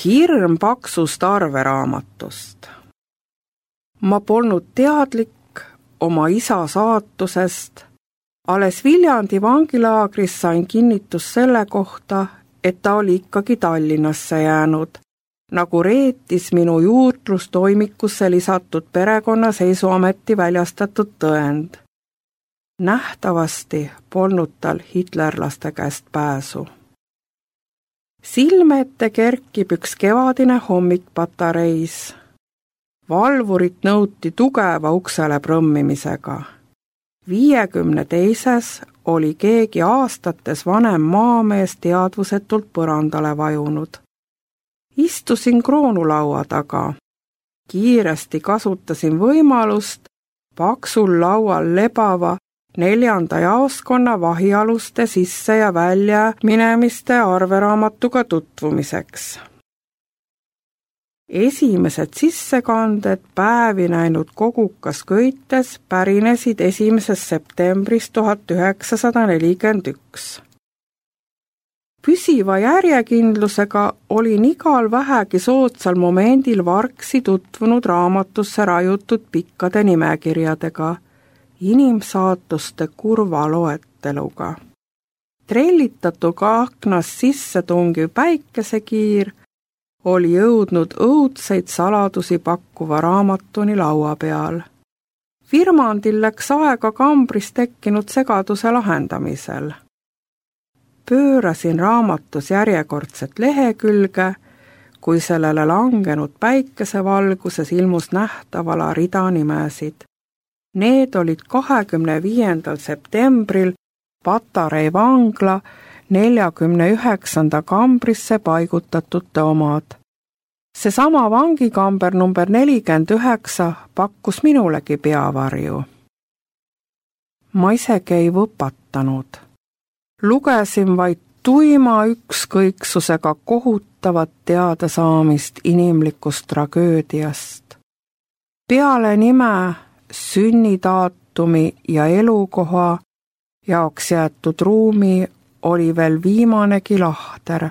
hirm paksust arveraamatust. Ma polnud teadlik oma isa saatusest. Alles Viljandi vangilaagris sain kinnitus selle kohta, et ta oli ikkagi Tallinnasse jäänud, nagu reetis minu juurdlustoimikusse lisatud perekonnaseisuameti väljastatud tõend. Nähtavasti polnud tal hitlerlaste käest pääsu. Silme ette kerkib üks kevadine hommik patareis. Valvurit nõuti tugeva uksele prõmmimisega. 52. oli keegi aastates vanem maamees teadvusetult põrandale vajunud. Istusin kroonulaua taga. Kiiresti kasutasin võimalust paksul laual lebava 4. jaoskonna vahialuste sisse ja välja minemiste arveraamatuga tutvumiseks. Esimesed sissekanded päevi näinud kogukas köites pärinesid 1. septembrist 1941. Püsiva järjekindlusega olin igal vähegi soodsal momendil vargsi tutvunud raamatusse rajutud pikkade nimekirjadega, inimsaatuste kurva loeteluga. Trellitatuga aknast sisse tungiv päikesekiir oli jõudnud õudseid saladusi pakkuva raamatuni laua peal. Virmandil läks aega kambris tekkinud segaduse lahendamisel. Pöörasin raamatus järjekordset lehekülge, kui sellele langenud päikesevalguses ilmus nähtavala rida nimesid. Need olid 25. septembril Patarei vangla 49. kambrisse paigutatute omad. Seesama vangikamber number 49 pakkus minulegi peavarju. Ma isegi ei võpatanud. Lugesin vaid tuima ükskõiksusega kohutavat teadasaamist inimlikust tragöödiast. Peale nime, sünnidaatumi ja elukoha jaoks jäetud ruumi oli veel viimanegi lahter,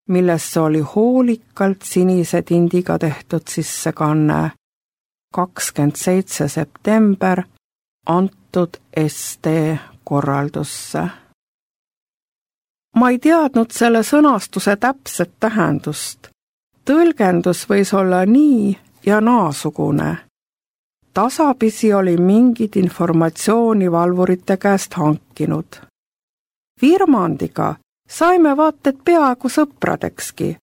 millesse oli hoolikalt sinise tindiga tehtud sissekanne 27. september antud ST korraldusse. Ma ei teadnud selle sõnastuse täpset tähendust. Tõlgendus võis olla nii ja naasugune. Tasapisi oli mingit informatsiooni valvurite käest hankinud. Virmandiga saime vaated peaaegu sõpradekski.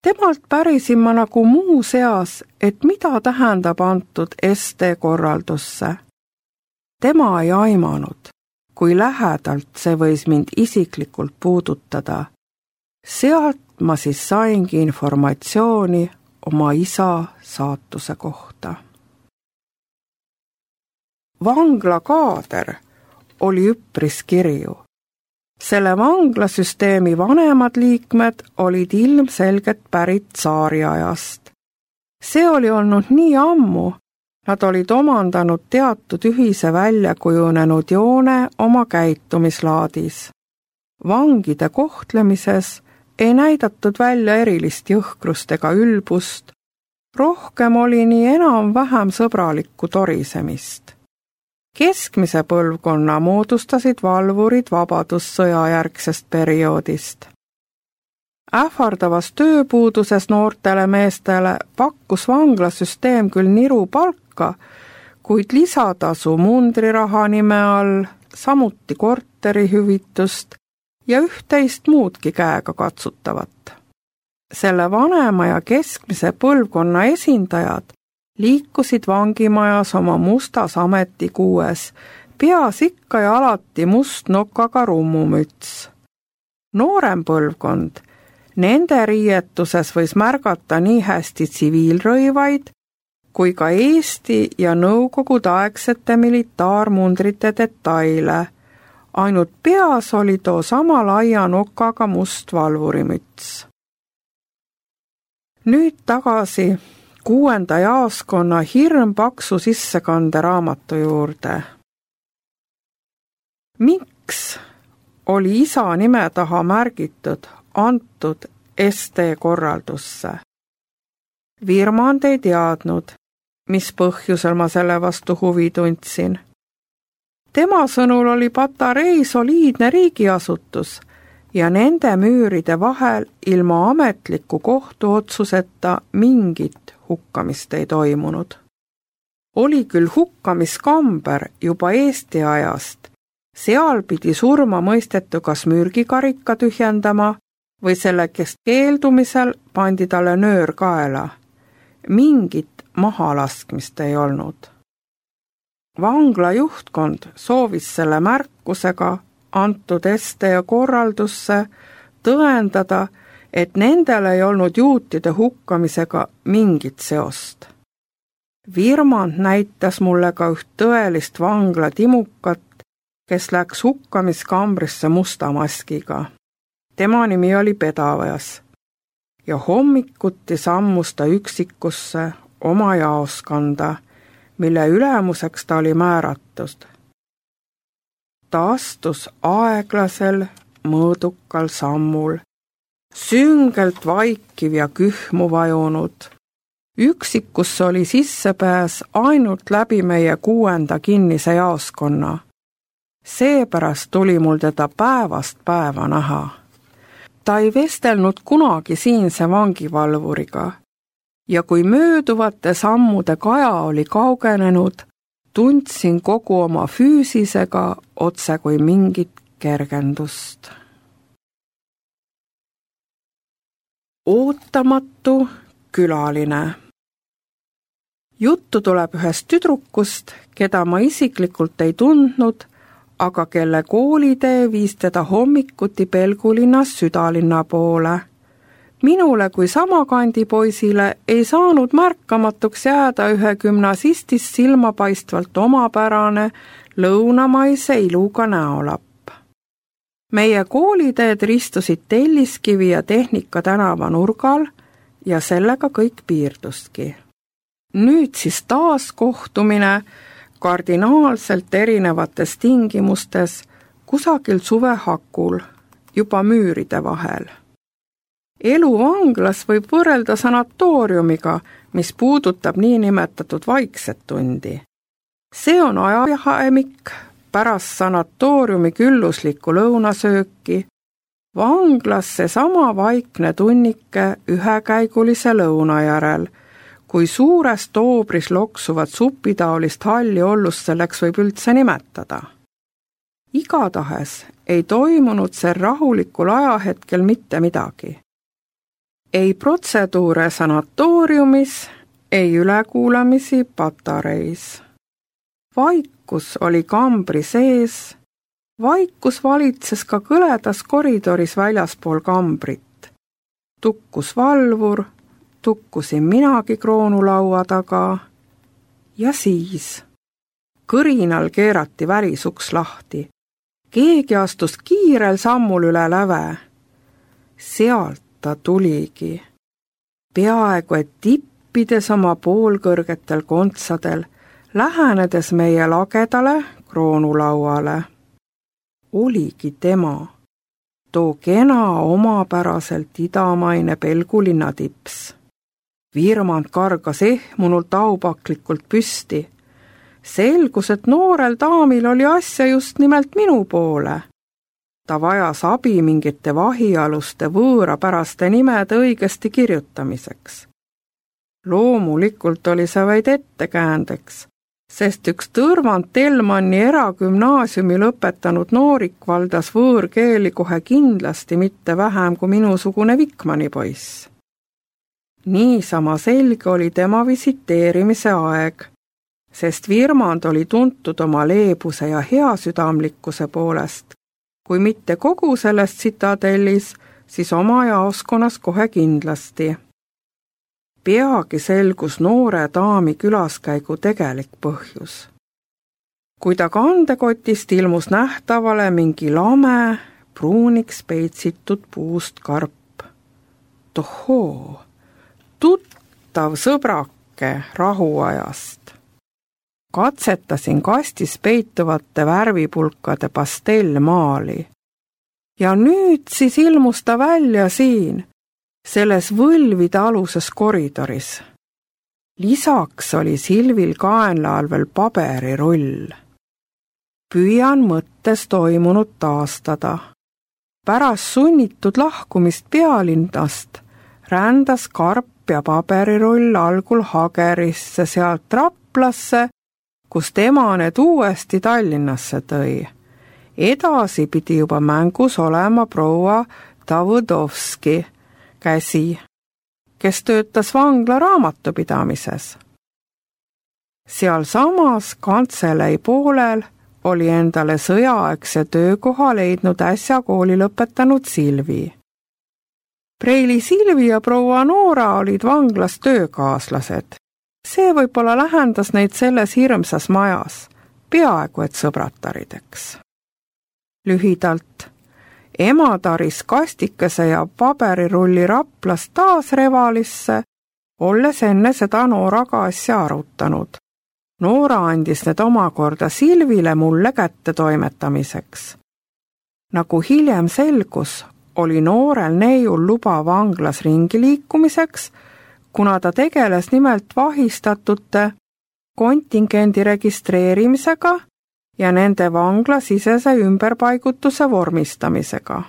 Temalt pärisin ma nagu muu seas, et mida tähendab antud ST korraldusse. Tema ei aimanud, kui lähedalt see võis mind isiklikult puudutada. Sealt ma siis saingi informatsiooni oma isa saatuse kohta. Vangla kaader oli üpris kirju. Selle vanglasüsteemi vanemad liikmed olid ilmselgelt pärit tsaariajast. See oli olnud nii ammu, nad olid omandanud teatud ühise väljakujunenud joone oma käitumislaadis. Vangide kohtlemises ei näidatud välja erilist jõhkrust ega ülbust, rohkem oli nii enam-vähem sõbralikku torisemist. Keskmise põlvkonna moodustasid valvurid vabadussõja järgsest perioodist. Ähvardavas tööpuuduses noortele meestele pakkus vanglasüsteem küll niru palka, kuid lisatasu mundriraha nime all, samuti korterihüvitust ja üht-teist muudki käega katsutavat. Selle vanema ja keskmise põlvkonna esindajad liikusid vangimajas oma mustas ametikuues, peas ikka ja alati mustnokaga rummumüts. Noorem põlvkond, nende riietuses võis märgata nii hästi tsiviilrõivaid kui ka Eesti ja nõukogudeaegsete militaarmundrite detaile. Ainult peas oli too sama laia nokaga must valvurimüts. Nüüd tagasi 6. jaoskonna hirmpaksu sissekande raamatu juurde. Miks oli isa nime taha märgitud antud ST-korraldusse. Virmand ei teadnud, mis põhjusel ma selle vastu huvi tundsin. Tema sõnul oli Patarei soliidne riigiasutus ja nende müüride vahel ilma ametliku kohtuotsuseta mingit hukkamist ei toimunud. Oli küll hukkamiskamber juba Eesti ajast, seal pidi surma mõistetu kas mürgikarika tühjendama või selle keeldumisel pandi talle nöör kaela. Mingit mahalaskmist ei olnud. Vangla juhtkond soovis selle märkusega antud ST-korraldusse tõendada, et nendel ei olnud juutide hukkamisega mingit seost. Virmand näitas mulle ka üht tõelist vangla timukat, kes läks hukkamiskambrisse musta maskiga. Tema nimi oli Pedaveas ja hommikuti sammus ta üksikusse oma jaoskonda, mille ülemuseks ta oli määratud. Ta astus aeglasel, mõõdukal sammul, süngelt vaikiv ja kühmu vajunud. Üksikusse oli sissepääs ainult läbi meie 6. kinnise jaoskonna. Seepärast tuli mul teda päevast päeva näha. Ta ei vestelnud kunagi siinse vangivalvuriga ja kui mööduvate sammude kaja oli kaugenenud, tundsin kogu oma füüsisega otse kui mingit kergendust. Ootamatu külaline. Juttu tuleb ühest tüdrukust, keda ma isiklikult ei tundnud, aga kelle koolitee viis teda hommikuti Pelgulinnas südalinna poole. Minule kui samakandi poisile ei saanud märkamatuks jääda ühe gümnasistist silmapaistvalt omapärane lõunamaise iluga näolapp. Meie kooliteed ristusid Telliskivi ja Tehnika tänava nurgal ja sellega kõik piirduski. Nüüd siis taas kohtumine kardinaalselt erinevates tingimustes kusagil suvehakul, juba müüride vahel. Elu vanglas võib võrrelda sanatooriumiga, mis puudutab niinimetatud vaikset tundi. See on ajahaemik pärast sanatooriumi külluslikku lõunasööki, vanglas seesama vaikne tunnike ühekäigulise lõuna järel, kui suures toobris loksuvat supitaolist halli ollust selleks võib üldse nimetada. Igatahes ei toimunud see rahulikul ajahetkel mitte midagi. Ei protseduure sanatooriumis, ei ülekuulamisi Patareis. Vaikus oli kambri sees, vaikus valitses ka kõledas koridoris väljaspool kambrit. Tukkus valvur, tukkusin minagi kroonulaua taga ja siis kõrinal keerati välisuks lahti. Keegi astus kiirel sammul üle läve. Sealt ta tuligi. Peaaegu et tippides oma poolkõrgetel kontsadel, lähenedes meie lagedale kroonulauale. Oligi tema, too kena omapäraselt idamaine Pelgulinna tips. Virmand kargas ehmunult aupaklikult püsti. Selgus, et noorel daamil oli asja just nimelt minu poole. Ta vajas abi mingite vahialuste võõrapäraste nimede õigesti kirjutamiseks. Loomulikult oli see vaid ettekäändeks, sest üks Tõrvand Telmanni eragümnaasiumi lõpetanud noorik valdas võõrkeeli kohe kindlasti mitte vähem kui minusugune Vikmani poiss. Niisama selge oli tema visiteerimise aeg, sest Virmand oli tuntud oma leebuse ja heasüdamlikkuse poolest, kui mitte kogu sellest tsitadellis, siis oma jaoskonnas kohe kindlasti. Peagi selgus noore daami külaskäigu tegelik põhjus. Kui ta kandekotist ilmus nähtavale mingi lame, pruuniks peitsitud puust karp. Tohoo, tuttav sõbrake rahuajast. Katsetasin kastis peituvate värvipulkade pastellmaali. Ja nüüd siis ilmus ta välja siin, selles võlvide aluses koridoris. Lisaks oli Silvil kaenla all veel paberirull. Püüan mõttes toimunut taastada. Pärast sunnitud lahkumist pealinnast rändas karp ja paberirull algul Hagerisse, sealt Raplasse, kus tema need uuesti Tallinnasse tõi. Edasi pidi juba mängus olema proua Davõdovski käsi, kes töötas vangla raamatupidamises. Sealsamas kantselei poolel oli endale sõjaaegse töökoha leidnud äsja kooli lõpetanud Silvi. Preili Silvi ja proua Noora olid vanglas töökaaslased. See võib-olla lähendas neid selles hirmsas majas, peaaegu et sõbratarideks. Lühidalt, ema taris kastikese ja paberirulli Raplast taas Revalisse, olles enne seda Nooraga asja arutanud. Noora andis need omakorda Silvile mulle kätte toimetamiseks. Nagu hiljem selgus, oli noorel neiul luba vanglas ringi liikumiseks, kuna ta tegeles nimelt vahistatute kontingendi registreerimisega ja nende vanglasisese ümberpaigutuse vormistamisega.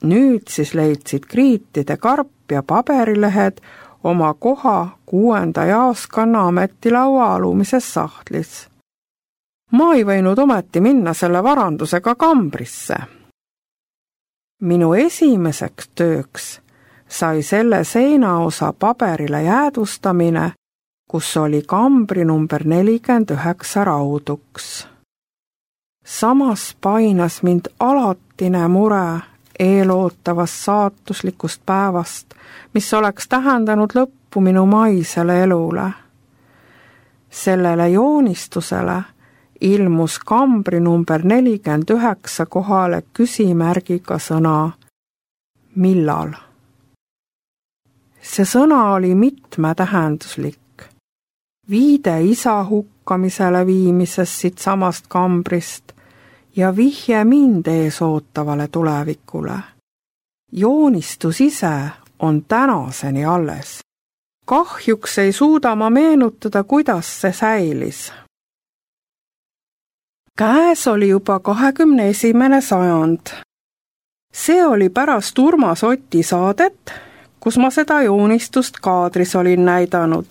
Nüüd siis leidsid kriitide karp ja paberilehed oma koha 6. jaoskonna ametilaua alumises sahtlis. Ma ei võinud ometi minna selle varandusega kambrisse. Minu esimeseks tööks sai selle seinaosa paberile jäädvustamine, kus oli kambri number 49 rauduks. Samas painas mind alatine mure eelootavast saatuslikust päevast, mis oleks tähendanud lõppu minu maisele elule. Sellele joonistusele ilmus kambri number 49 kohale küsimärgiga sõna millal. See sõna oli mitmetähenduslik. Viide isa hukkamisele viimises siit samast kambrist ja vihje mind ees ootavale tulevikule. Joonistus ise on tänaseni alles. Kahjuks ei suuda ma meenutada, kuidas see säilis. Käes oli juba 21. sajand. See oli pärast Urmas Oti saadet, kus ma seda joonistust kaadris olin näidanud.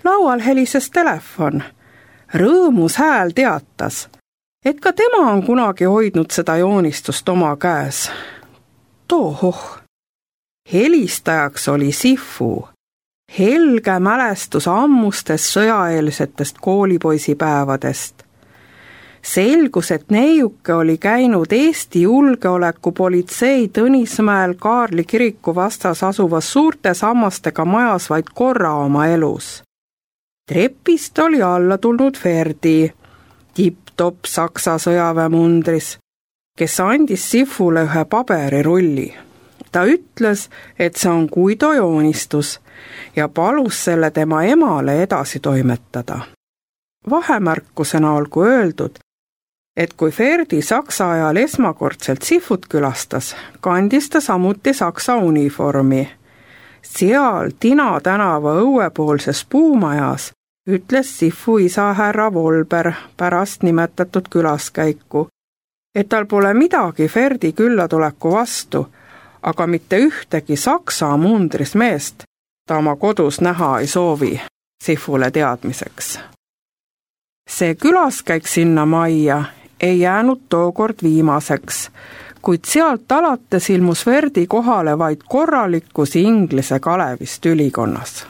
Laual helises telefon. Rõõmus hääl teatas, et ka tema on kunagi hoidnud seda joonistust oma käes. Tohoh! Helistajaks oli Sifu, helge mälestus ammustest sõjaeelsetest koolipoisipäevadest. Selgus, et neiuke oli käinud Eesti julgeolekupolitsei Tõnismäel Kaarli kiriku vastas asuvas suurte sammastega majas vaid korra oma elus. Trepist oli alla tulnud Ferdi, tipp-topp Saksa sõjaväemundris, kes andis Sifule ühe paberirulli. Ta ütles, et see on Guido joonistus ja palus selle tema emale edasi toimetada. Vahemärkusena olgu öeldud, et kui Ferdi Saksa ajal esmakordselt Sifut külastas, kandis ta samuti Saksa uniformi. Seal Tina tänava õuepoolses puumajas ütles Sifu isa härra Volber pärast nimetatud külaskäiku, et tal pole midagi Ferdi küllatuleku vastu, aga mitte ühtegi Saksa mundris meest ta oma kodus näha ei soovi, Sifule teadmiseks. See külaskäik sinna majja ei jäänud tookord viimaseks, kuid sealt alates ilmus Ferdi kohale vaid korralikus Inglise Kalevist ülikonnas.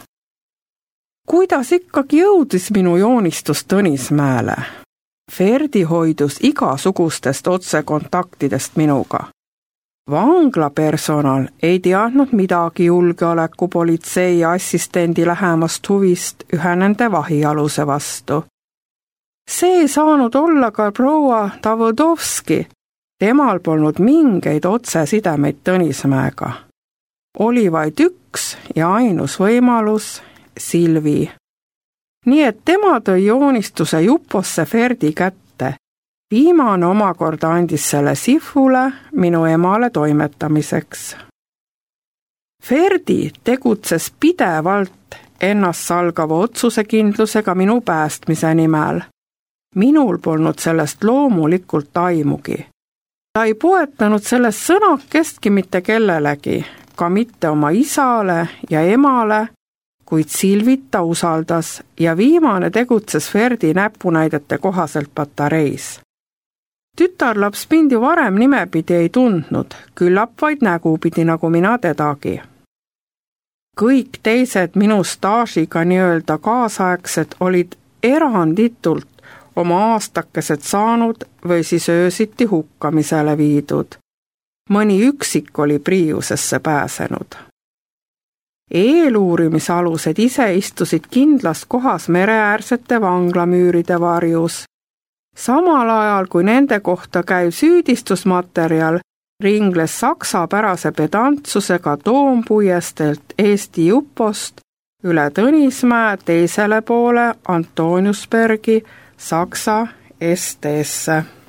Kuidas ikkagi jõudis minu joonistus Tõnismäele? Ferdi hoidus igasugustest otsekontaktidest minuga. Vanglapersonal ei teadnud midagi julgeolekupolitsei assistendi lähemast huvist ühe nende vahialuse vastu. See ei saanud olla ka proua Davõdovski, temal polnud mingeid otsesidemeid Tõnismäega. Oli vaid üks ja ainus võimalus, Silvi. Nii et tema tõi joonistuse Juposse Ferdi kätte. Viimane omakorda andis selle Sifule, minu emale toimetamiseks. Ferdi tegutses pidevalt ennastsalgava otsusekindlusega minu päästmise nimel. Minul polnud sellest loomulikult aimugi. Ta ei poetanud sellest sõnakestki mitte kellelegi, ka mitte oma isale ja emale, kuid Silvita usaldas ja viimane tegutses Ferdi näpunäidete kohaselt patareis. Tütarlaps mind ju varem nimepidi ei tundnud, küllap vaid nägupidi nagu mina tedagi. Kõik teised minu staažiga nii-öelda kaasaegsed olid eranditult oma aastakesed saanud või siis öösiti hukkamisele viidud. Mõni üksik oli Priiusesse pääsenud. Eeluurimisalused ise istusid kindlas kohas mereäärsete vanglamüüride varjus. Samal ajal kui nende kohta käiv süüdistusmaterjal ringles saksapärase pedantsusega Toompuiesteelt Eesti Jupost üle Tõnismäe teisele poole Antoniusbergi Saksa ST-sse.